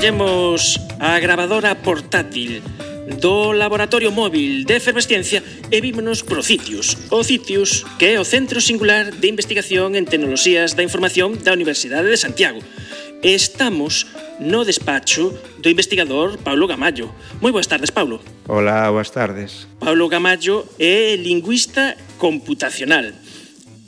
Collemos a gravadora portátil do Laboratorio Móvil de Efervesciencia e vímonos pro CITIUS. O CITIUS, que é o Centro Singular de Investigación en Tecnoloxías da Información da Universidade de Santiago. Estamos no despacho do investigador Paulo Gamallo. Moi boas tardes, Paulo. Hola, boas tardes. Paulo Gamallo é lingüista computacional.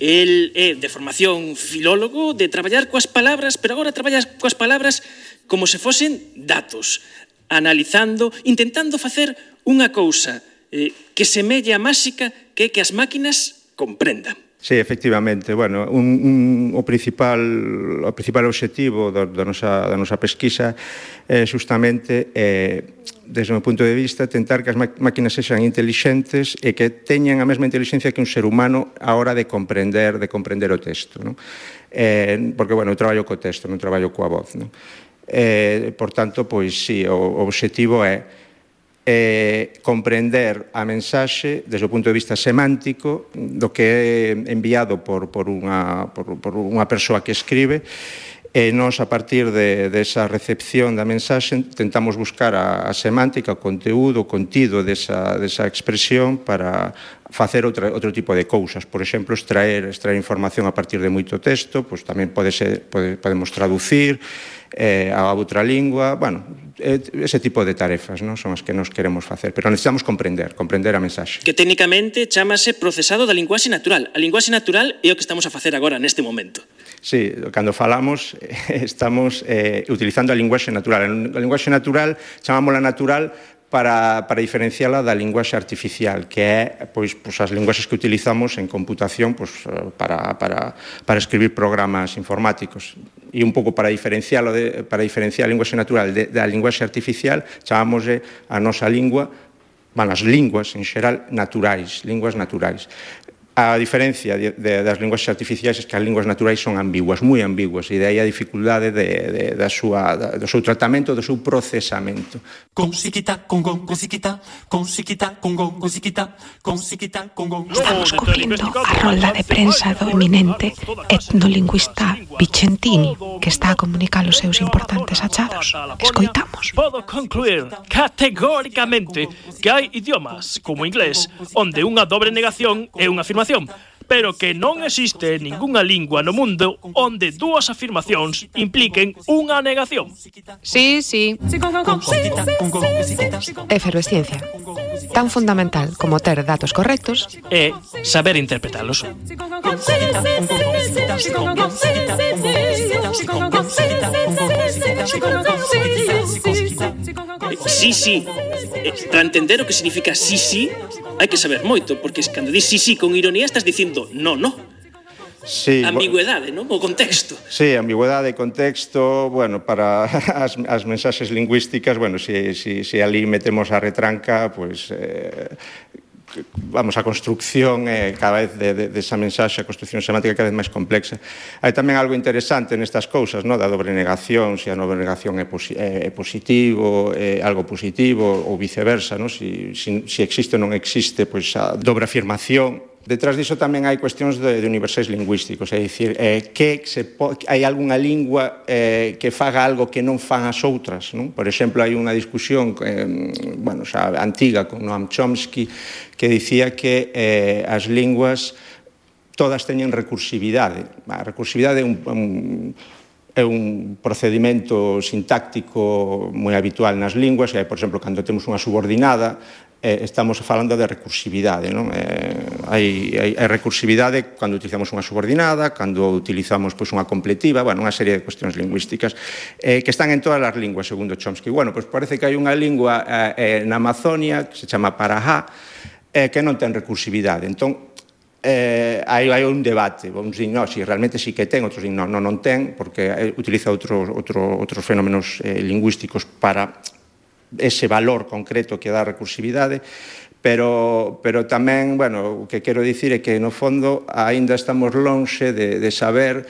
El é de formación filólogo, de traballar coas palabras, pero agora traballa coas palabras como se fosen datos, analizando, intentando facer unha cousa que semella máxica, que é que as máquinas comprendan. Sí, efectivamente. Bueno, o principal obxectivo da nosa pesquisa é justamente, desde o meu punto de vista, tentar que as máquinas sexan intelixentes e que teñan a mesma inteligencia que un ser humano a hora de comprender o texto, non? Porque, bueno, eu traballo co texto, non traballo coa voz, non? Por tanto, pois, sí, o obxectivo é comprender a mensaxe desde o punto de vista semántico do que é enviado por unha persoa que escribe, e nós, a partir desa recepción da mensaxe, tentamos buscar a semántica, o conteúdo, o contido desa expresión para facer outro tipo de cousas. Por exemplo, extraer información a partir de moito texto, pois tamén podemos traducir a outra lingua, bueno, ese tipo de tarefas, non? Son as que nos queremos facer, pero necesitamos comprender a mensaxe. Que técnicamente chamase procesado da linguaxe natural. A linguaxe natural é o que estamos a facer agora, neste momento. Sí, cando falamos estamos utilizando a linguaxe natural. A linguaxe natural chamámola natural para diferenciala da linguaxe artificial, que é pois as linguaxes que utilizamos en computación para escribir programas informáticos. E un pouco para diferenciar a linguaxe natural da linguaxe artificial, chamámoslle a nosa lingua, as linguas en xeral naturais, linguas naturais. A diferencia das linguaxes artificiais é que as linguas naturais son ambiguas, moi ambiguas, e de aí a dificultade do seu tratamento, do seu procesamento. Estamos cubrindo a rolda de prensa do eminente etnolingüista Vicentini, que está a comunicar os seus importantes achados. Escoitamos. Podo concluir categóricamente que hai idiomas, como o inglés, onde unha dobre negación é unha afirmación, pero que non existe ningunha lingua no mundo onde dúas afirmacións impliquen unha negación. Sí. Efervesciencia. Tan fundamental como ter datos correctos É saber interpretalos. Sí. Para entender o que significa sí, hai que saber moito, porque cando dis sí con ironía estás dicindo no. Sí, ambigüedade, non? O contexto. Sí, ambigüedade e contexto, bueno, para as mensaxes lingüísticas, bueno, se ali metemos a retranca, pois a construcción cada vez desa mensaxe, a construcción semántica cada vez máis complexa. Hai tamén algo interesante nestas cousas, da dobre negación, se a dobre negación é positivo, algo positivo, ou viceversa, se existe ou non existe, pois a dobre afirmación. Detrás diso tamén hai cuestións de universais lingüísticos, é dicir, hai algunha lingua que faga algo que non fan as outras, non? Por exemplo, hai unha discusión xa antiga con Noam Chomsky que dicía que as linguas todas teñen recursividade. A recursividade é un procedimento sintáctico moi habitual nas linguas, e, por exemplo, cando temos unha subordinada, estamos falando de recursividade, non? Hai recursividade cando utilizamos unha subordinada, cando utilizamos unha completiva, unha serie de cuestións lingüísticas que están en todas as linguas, segundo Chomsky. Parece que hai unha lingua na Amazonia que se chama Parajá, que non ten recursividade. Entón, hai un debate, vamos dicir, si realmente sí que ten, outros din, non ten, porque utiliza outros fenómenos lingüísticos para ese valor concreto que dá a recursividade, pero tamén, o que quero dicir é que, no fondo, aínda estamos lonxe de saber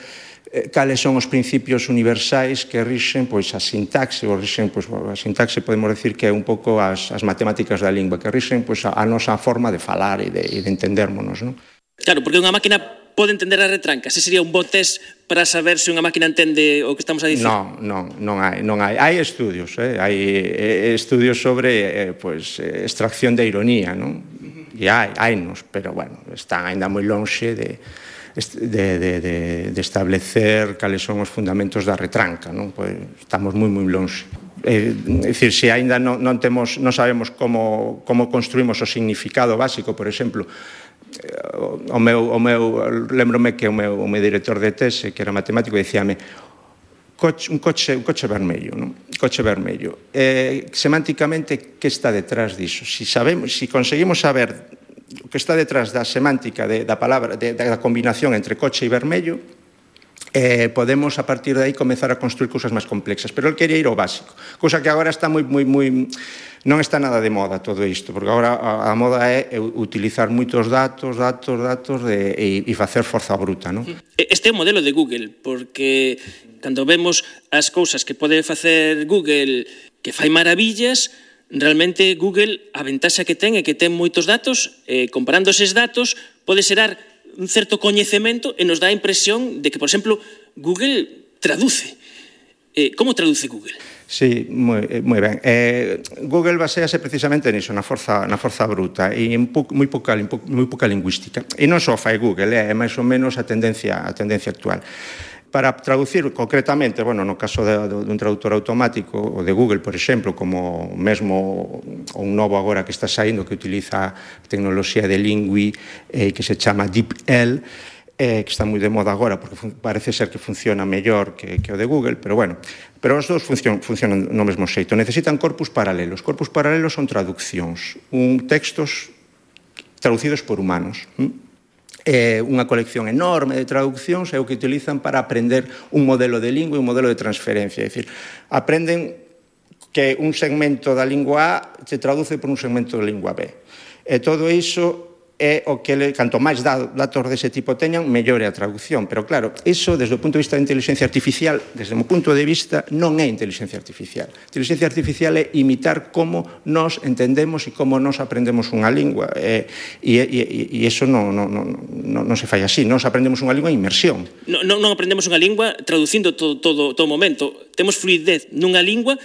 cales son os principios universais que rixen a sintaxe, a sintaxe podemos decir que é un pouco as matemáticas da lingua, que rixen a nosa forma de falar e de entendermonos, non? Claro, porque unha máquina pode entender a retranca? Se sería un bo test para saber se unha máquina entende o que estamos a dicir? Non hai. Hai estudios, hai estudios sobre extracción de ironía, non? E hainos, pero, bueno, están ainda moi lonxe de establecer cales son os fundamentos da retranca, non? Pois estamos moi lonxe. É dicir, se ainda non sabemos como construímos o significado básico, por exemplo, lembrome que o meu director de tese, que era matemático, dicíame un coche vermello, non? Coche vermello. Semánticamente, que está detrás diso? Si conseguimos saber o que está detrás da semántica da palabra, da combinación entre coche e vermello, podemos a partir de aí comezar a construir cousas máis complexas, pero el quería ir ao básico, cousa que agora está moi non está nada de moda todo isto, porque agora a moda é utilizar moitos datos e facer forza bruta, non? Este é o modelo de Google, porque cando vemos as cousas que pode facer Google que fai maravillas, realmente Google a ventaxa que ten é que ten moitos datos, comparando eses datos pode xerar un certo coñecemento e nos dá a impresión de que, por exemplo, Google traduce. Como traduce Google? Sí, moi ben. Google basease precisamente niso, na forza bruta e moi pouca lingüística. E non só fai Google, é máis ou menos a tendencia actual. Para traducir concretamente, bueno, no caso dun traductor automático, o de Google, por exemplo, como mesmo un novo agora que está saindo que utiliza a tecnoloxía de Lingui que se chama DeepL, que está moi de moda agora porque parece ser que funciona mellor que o de Google, pero bueno, pero os dous funcionan no mesmo xeito. Necesitan corpus paralelos. Corpus paralelos son traduccións, textos traducidos por humanos. Unha colección enorme de traduccións é o que utilizan para aprender un modelo de lingua e un modelo de transferencia. É dicir, aprenden que un segmento da lingua A se traduce por un segmento da lingua B. E todo iso é o que, canto máis datos dese tipo teñan, mellore a traducción. Pero claro, iso, desde o punto de vista da inteligencia artificial, desde o meu punto de vista, non é inteligencia artificial. Inteligencia artificial é imitar como nos entendemos e como nos aprendemos unha lingua. E iso non se fai así. Nos aprendemos unha lingua en inmersión. Non aprendemos unha lingua traducindo todo o momento. Temos fluidez nunha lingua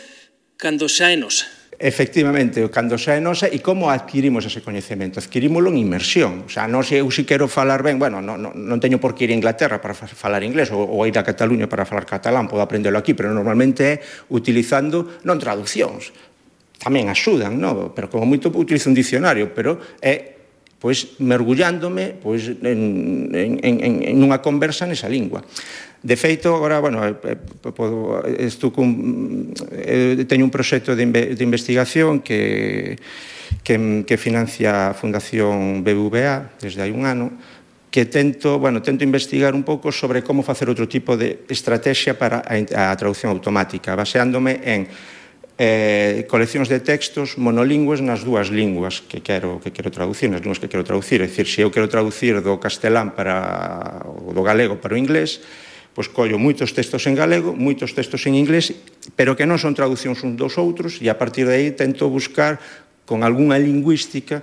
cando xa é nosa. Efectivamente, cando xa é nosa, e como adquirimos ese coñecemento? Adquirímolo en inmersión. O sea, eu se quero falar ben, bueno, non teño por que ir a Inglaterra para falar inglés ou ir a Cataluña para falar catalán, podo aprendelo aquí, pero normalmente é utilizando non traduccións. Tamén axudan, non? Pero como moito utilizo un diccionario, pero é mergullándome en unha conversa nesa lingua. De feito, agora, bueno, teño un proxecto de investigación que financia a Fundación BBVA desde hai un ano, que tento investigar un pouco sobre como facer outro tipo de estrategia para a traducción automática, baseándome en coleccións de textos monolingües nas dúas linguas que quero traducir, nas linguas que quero traducir. É dicir, se eu quero traducir do castelán do galego para o inglés, pois collo moitos textos en galego, moitos textos en inglés, pero que non son traduccións uns dos outros, e a partir de aí tento buscar con algunha lingüística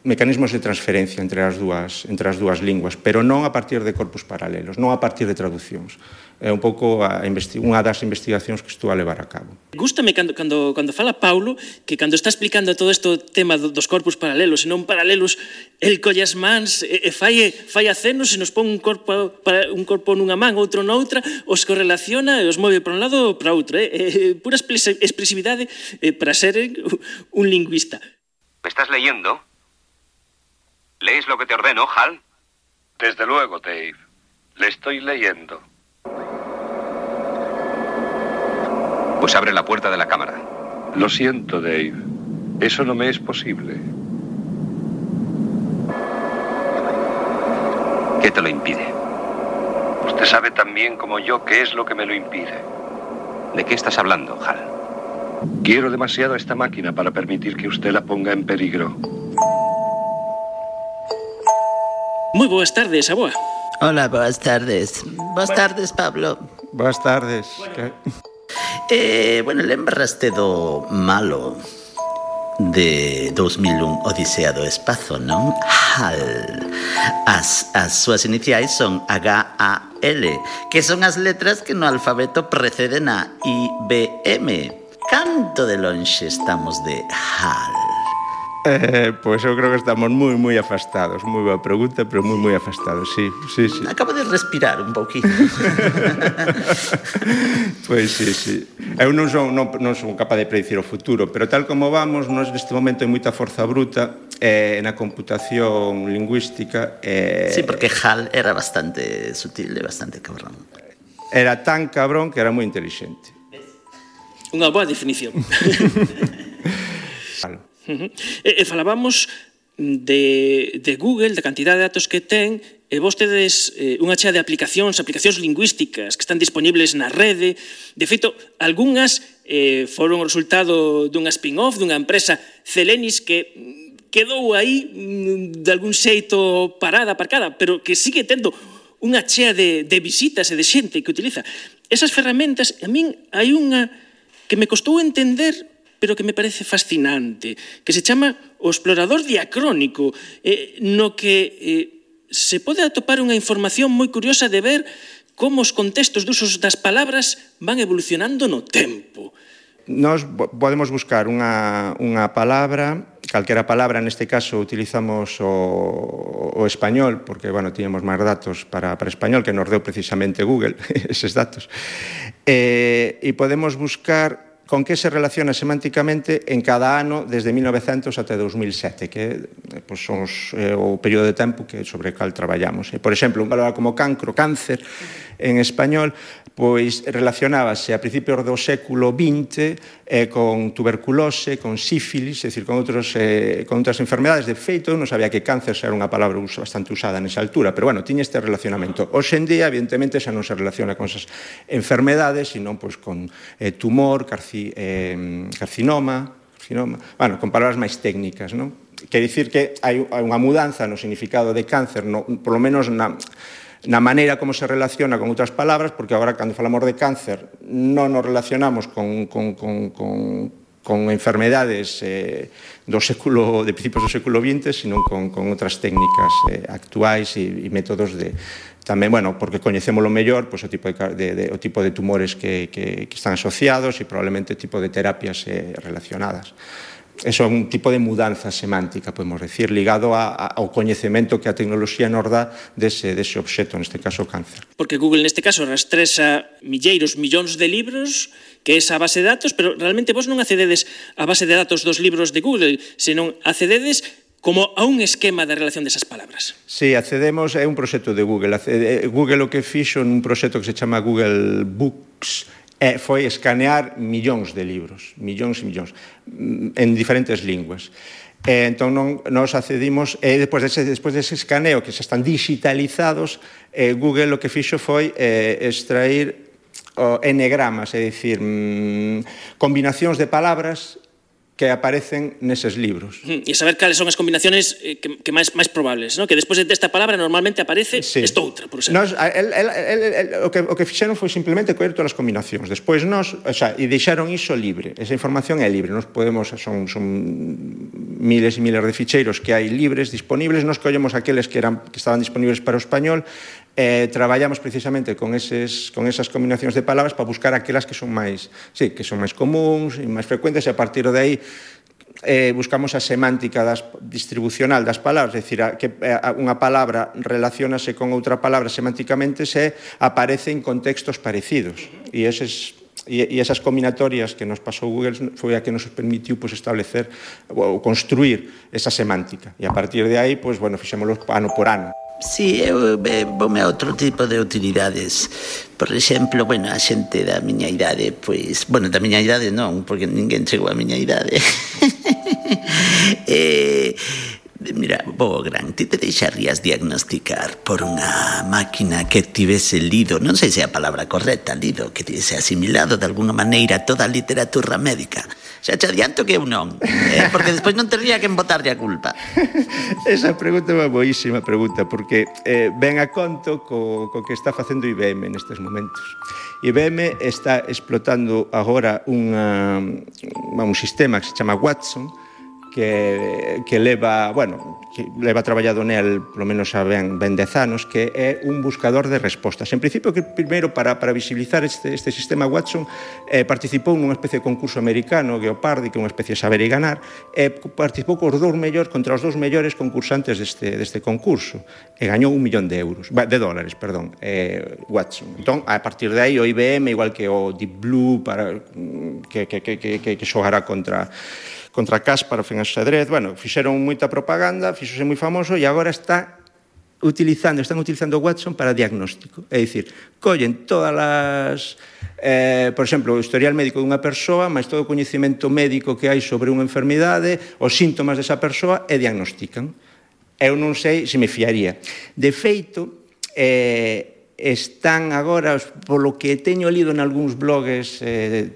mecanismos de transferencia entre as dúas linguas, pero non a partir de corpus paralelos, non a partir de traduccións. É un pouco unha das investigacións que estou a levar a cabo. Gústame cando fala Paulo que cando está explicando todo este tema dos corpus paralelos e non paralelos, el colle as mans e fai acenos e nos pon un corpo nunha man, outro noutra, os correlaciona e os move para un lado ou para outro. Pura expresividade para ser un lingüista. ¿Me estás leyendo? ¿Lees lo que te ordeno, Hal? Desde luego, Dave. Le estoy leyendo. Pues abre la puerta de la cámara. Lo siento, Dave. Eso no me es posible. ¿Qué te lo impide? Usted sabe tan bien como yo qué es lo que me lo impide. ¿De qué estás hablando, Hal? Quiero demasiado a esta máquina para permitir que usted la ponga en peligro. Moi boas tardes, aboa. Hola, boas tardes. Boas tardes, Pablo. Boas tardes. Bueno, lembraste do malo. de 2001 Odisea do Espazo, non? HAL. As súas iniciais son HAL, que son as letras que no alfabeto preceden a IBM. Canto de lonxe estamos de HAL? Pois eu creo que estamos moi afastados. Moi boa pregunta, pero moi afastados, sí. Acabo de respirar un pouquinho. Pois sí. Eu non son capaz de predicir o futuro, pero tal como vamos, nós neste momento hai moita forza bruta na computación lingüística. Sí, porque HAL era bastante sutil e bastante cabrón. Era tan cabrón que era moi inteligente. Unha boa definición. Falábamos de Google, da cantidad de datos que ten, e vos tedes unha chea de aplicacións lingüísticas que están disponibles na rede. De feito, algunhas foron o resultado dunha spin-off dunha empresa Celenis que quedou aí de algún xeito aparcada, pero que sigue tendo unha chea de visitas e de xente que utiliza esas ferramentas. A min hai unha que me costou entender, pero que me parece fascinante, que se chama o explorador diacrónico, no que se pode atopar unha información moi curiosa de ver como os contextos de usos das palabras van evolucionando no tempo. Nós podemos buscar unha palabra, calquera palabra, neste caso utilizamos o español, porque, tiñamos máis datos para español, que nos deu precisamente Google, eses datos, e podemos buscar con que se relaciona semánticamente en cada ano desde 1900 até 2007, que son o período de tempo sobre o cal traballamos. Por exemplo, unha palabra como cáncer, en español, pois relacionábase a principios do século XX con tuberculose, con sífilis, é dicir, con outras enfermedades. De feito, eu non sabía que cáncer era unha palabra bastante usada nesa altura, pero, tiña este relacionamento. Hoxe en día, evidentemente, xa non se relaciona con esas enfermedades, sino con tumor, carcinoma, con palabras máis técnicas, non? Quer dicir que hai unha mudanza no significado de cáncer, por lo menos na maneira como se relaciona con outras palabras, porque agora, cando falamos de cáncer, non nos relacionamos con enfermedades de principios do século XX, sino con outras técnicas actuais e métodos de tamén, porque coñecémolo mellor, o tipo de tumores que están asociados e probablemente o tipo de terapias relacionadas. Eso é un tipo de mudanza semántica, podemos decir, ligado ao coñecemento que a tecnoloxía nos dá dese obxecto, neste caso o cáncer. Porque Google neste caso rastresa millóns de libros, que é esa base de datos, pero realmente vos non accededes á base de datos dos libros de Google, senón accededes como a un esquema de relación desas palabras. Sí, accedemos, é un proxecto de Google. Google o que fixo nun proxecto que se chama Google Books foi escanear millóns de libros, millóns e millóns, en diferentes linguas. Entón, nos accedimos, despois dese escaneo, que xa están digitalizados, Google o que fixo foi extrair enegramas, é dicir, combinacións de palabras que aparecen neses libros. E saber cales son as combinaciones que máis probables, non? Que despois desta palabra normalmente aparece esta outra, por exemplo. O que fixeron foi simplemente coller todas as combinacións. Despois e deixaron iso libre. Esa información é libre. Nos podemos, son miles e miles de ficheiros que hai libres, disponibles. Nos collemos aqueles que estaban disponibles para o español. Traballamos precisamente con esas combinacións de palabras para buscar aquelas que son máis comuns e máis frecuentes, e a partir de aí buscamos a semántica distribucional das palabras, é dicir, que unha palabra relacionase con outra palabra semánticamente se aparece en contextos parecidos, e esas combinatorias que nos pasou Google foi a que nos permitiu establecer ou construir esa semántica, e a partir de aí, fixémoslo ano por ano. Sí, eu voume a outro tipo de utilidades. Por exemplo, a xente da miña idade, da miña idade non, porque ninguén chegou a miña idade. Mira, Bogran, ti te deixarías diagnosticar por unha máquina que tivese lido, non sei se é a palabra correcta, lido, que tivese asimilado de alguna maneira toda a literatura médica. Xa te adianto que eu non, porque despois non tería que botarlle a culpa. Esa pregunta é unha boísima pregunta, porque ven a conto co que está facendo IBM nestes momentos. IBM está explotando agora un sistema que se chama Watson, que leva traballado nel polo menos a ben 10 anos, que é un buscador de respostas. En principio, que primeiro para visibilizar este sistema Watson participou nunha especie de concurso americano, Geopardy, que é unha especie de saber e ganar, participou contra os dous mellores concursantes deste concurso, e gañou $1 millón de dólares, Watson. Entón, a partir de aí, o IBM, igual que o Deep Blue, que xogará contra Kasparov en xadrez, fixeron moita propaganda, fixose moi famoso e agora están utilizando Watson para diagnóstico. É dicir, collen todas as, por exemplo, o historial médico dunha persoa, máis todo o coñecemento médico que hai sobre unha enfermidade, os síntomas desa persoa e diagnostican. Eu non sei se me fiaría. De feito, están agora, polo que teño lido en algúns blogs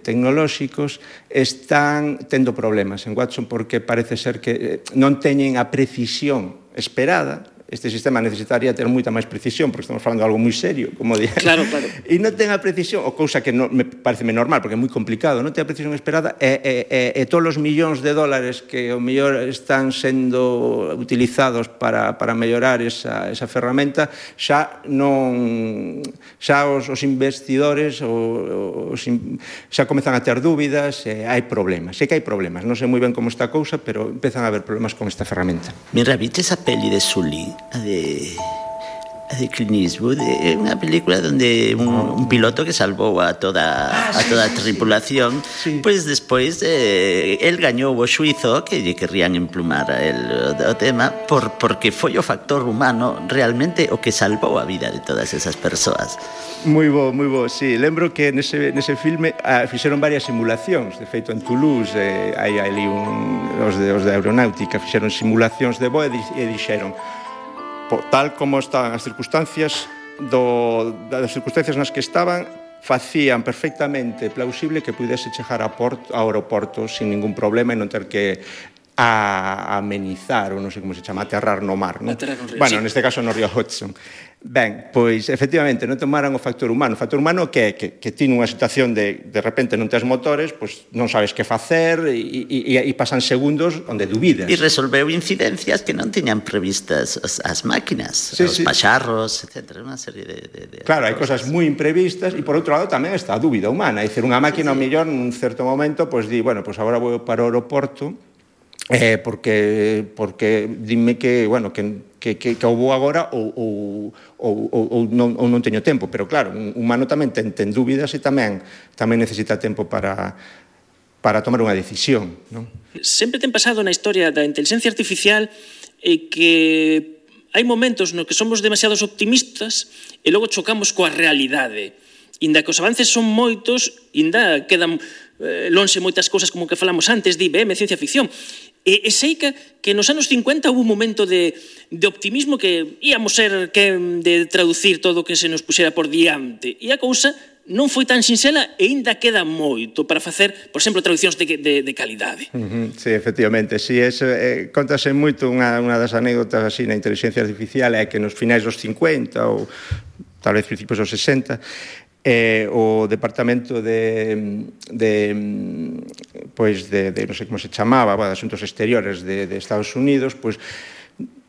tecnolóxicos, están tendo problemas en Watson porque parece ser que non teñen a precisión esperada. Este sistema necesitaría ter moita máis precisión, porque estamos falando de algo moi serio, como dixen. Claro. E non ten a precisión, ou cousa que me parece normal, porque é moi complicado, non ten a precisión esperada, e todos os millóns de dólares que ao mellor están sendo utilizados para mellorar esa ferramenta, xa os investidores xa comezan a ter dúbidas, hai problemas. Sei que hai problemas, non sei moi ben como está a cousa, pero empezan a haber problemas con esta ferramenta. Mira, viste esa peli de Sully? A de Clint Eastwood, unha película donde un piloto que salvou a toda a tripulación, pois despois el gañou o xuizo que lle querrían emplumar o tema porque foi o factor humano realmente o que salvou a vida de todas esas persoas. Moi bo, sí. Lembro que nese filme fixeron varias simulacións. De feito, en Toulouse hai ali os de aeronáutica fixeron simulacións de voo e dixeron, tal como estaban as circunstancias nas que estaban, facían perfectamente plausible que pudese chegar ao aeroporto sin ningún problema e non ter que amenizar, ou non sei como se chama, aterrar no mar, non? Neste caso no río Hudson. Ben, pois, efectivamente, non tomaran o factor humano. O factor humano que tiene unha situación de repente non tes motores, pois non sabes que facer e pasan segundos onde dubidas. E resolveu incidencias que non tiñan previstas as máquinas, os pacharros, etc. Unha serie de claro, hai cosas moi imprevistas e, por outro lado, tamén está a dúbida humana. É dicir, unha máquina, ao mellor, nun certo momento, pois di, agora vou para o aeroporto porque dime que vou agora ou non teño tempo, pero claro, un humano tamén ten dúbidas e tamén necesita tempo para tomar unha decisión, non? Sempre ten pasado na historia da inteligencia artificial que hai momentos no que somos demasiados optimistas e logo chocamos coa realidade. Inda que os avances son moitos, inda quedan lonxe moitas cousas como que falamos antes de IBM, ciencia ficción. E sei que nos anos 50 hubo un momento de optimismo que íamos ser que de traducir todo o que se nos puxera por diante. E a cousa non foi tan sinxela e ainda queda moito para facer, por exemplo, traduccións de calidade. Sí, efectivamente. Sí, contase moito unha das anécdotas así na inteligencia artificial é que nos finais dos 50 ou tal vez principios dos 60 o departamento de non sei como se chamaba, de asuntos exteriores de Estados Unidos, pois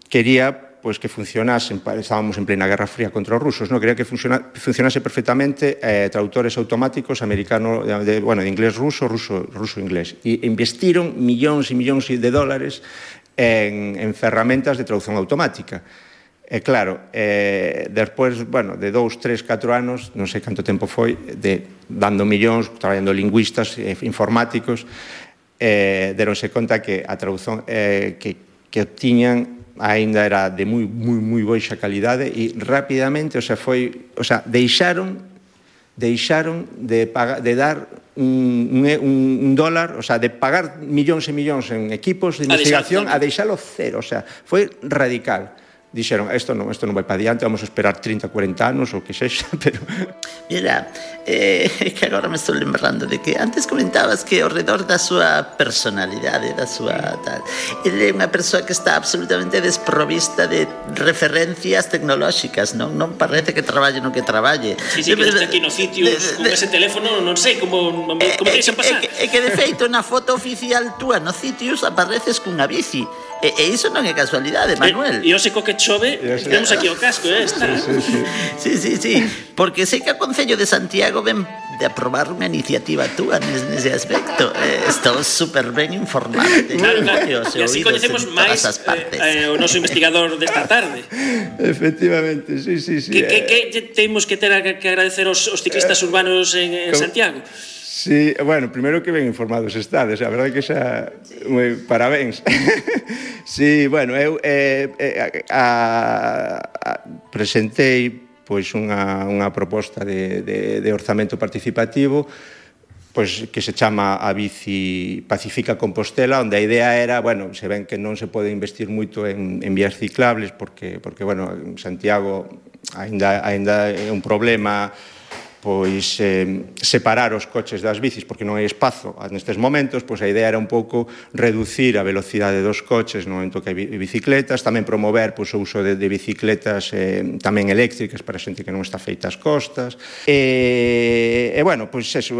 quería que funcionasen, estábamos en plena Guerra Fría contra os rusos, quería que funcionase perfectamente traductores automáticos americano, de inglés ruso, ruso-inglés, e investiron millóns e millóns de dólares en ferramentas de traducción automática. E claro, despois, de 2, 3, 4 anos, non sei canto tempo foi, dando millóns, traballando lingüistas, informáticos, deronse conta que a traducción que tiñan aínda era de moi boixa calidade e rapidamente, deixaron de dar un dólar, de pagar millóns e millóns en equipos de investigación a deixalo cero, foi radical. dixeron, isto non vai para diante, vamos a esperar 30, 40 anos ou que sexa, pero... Mira, que agora me estou lembrando de que antes comentabas que ao redor da súa personalidade, da súa tal, ele é unha persoa que está absolutamente desprovista de referencias tecnolóxicas, non parece que traballe no que traballe. Sí, que está aquí no sitio con ese teléfono, non sei como deixan pasar. É que de feito na foto oficial túa no Citius apareces cunha bici. E iso non é casualidade, Manuel. E ose co que chove, temos aquí o casco, está. Sí, porque sei que o Concello de Santiago ven de aprobar unha iniciativa túa nese aspecto. Estou super ben informado. Claro. E así coñecemos máis o noso investigador desta tarde. Efectivamente, sí. Que temos que ter que agradecer aos ciclistas urbanos en Santiago? Sí, bueno, primeiro que ben informados estades, a verdade que xa parabéns. Sí, bueno, eu presentei pois unha proposta de orzamento participativo pois que se chama a Bici Pacifica Compostela, onde a idea era, bueno, se ven que non se pode investir moito en vías ciclables porque bueno, en Santiago aínda é un problema pois separar os coches das bicis porque non hai espazo nestes momentos, pois a idea era un pouco reducir a velocidade dos coches no momento que hai bicicletas, tamén promover pois, o uso de bicicletas tamén eléctricas para a xente que non está feita as costas e bueno, pois eso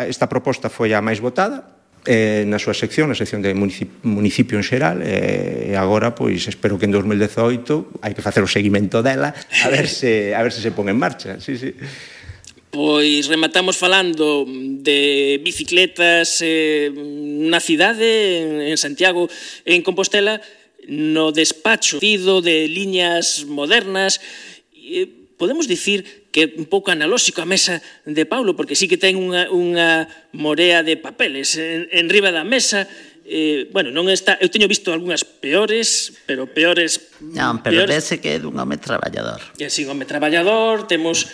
esta proposta foi a máis votada na súa sección, na sección de municipio en xeral e agora, pois, espero que en 2018 hai que facer o seguimento dela a ver se pon en marcha, sí. Pois rematamos falando de bicicletas na cidade, en Santiago, en Compostela, no despacho de liñas modernas. Podemos dicir que é un pouco analóxico a mesa de Paulo, porque sí que ten unha morea de papeles en riba da mesa. Bueno, non está, eu teño visto algunhas peores, pero peores... Non, pero vese que é dun home traballador. Sí, un home traballador, temos,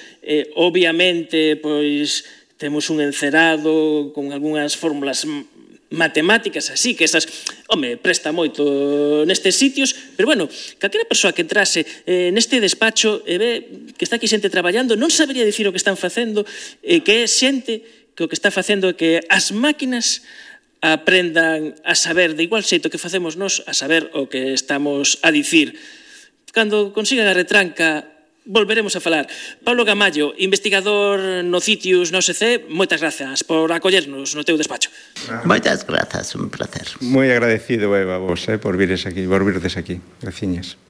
obviamente, pois, temos un encerado con algunhas fórmulas matemáticas así, que esas, presta moito nestes sitios, pero bueno, calquera persoa que entrase neste despacho e ve que está aquí xente traballando, non sabería dicir o que están facendo, que é xente que o que está facendo é que as máquinas aprendan a saber de igual xeito que facemos nós a saber o que estamos a dicir. Cando consigan a retranca, volveremos a falar. Paulo Gamallo, investigador no Citius, no OSC, moitas grazas por acollernos no teu despacho. Moitas grazas, un placer. Moi agradecido, Eva, vos, por virdes aquí. Graciñas.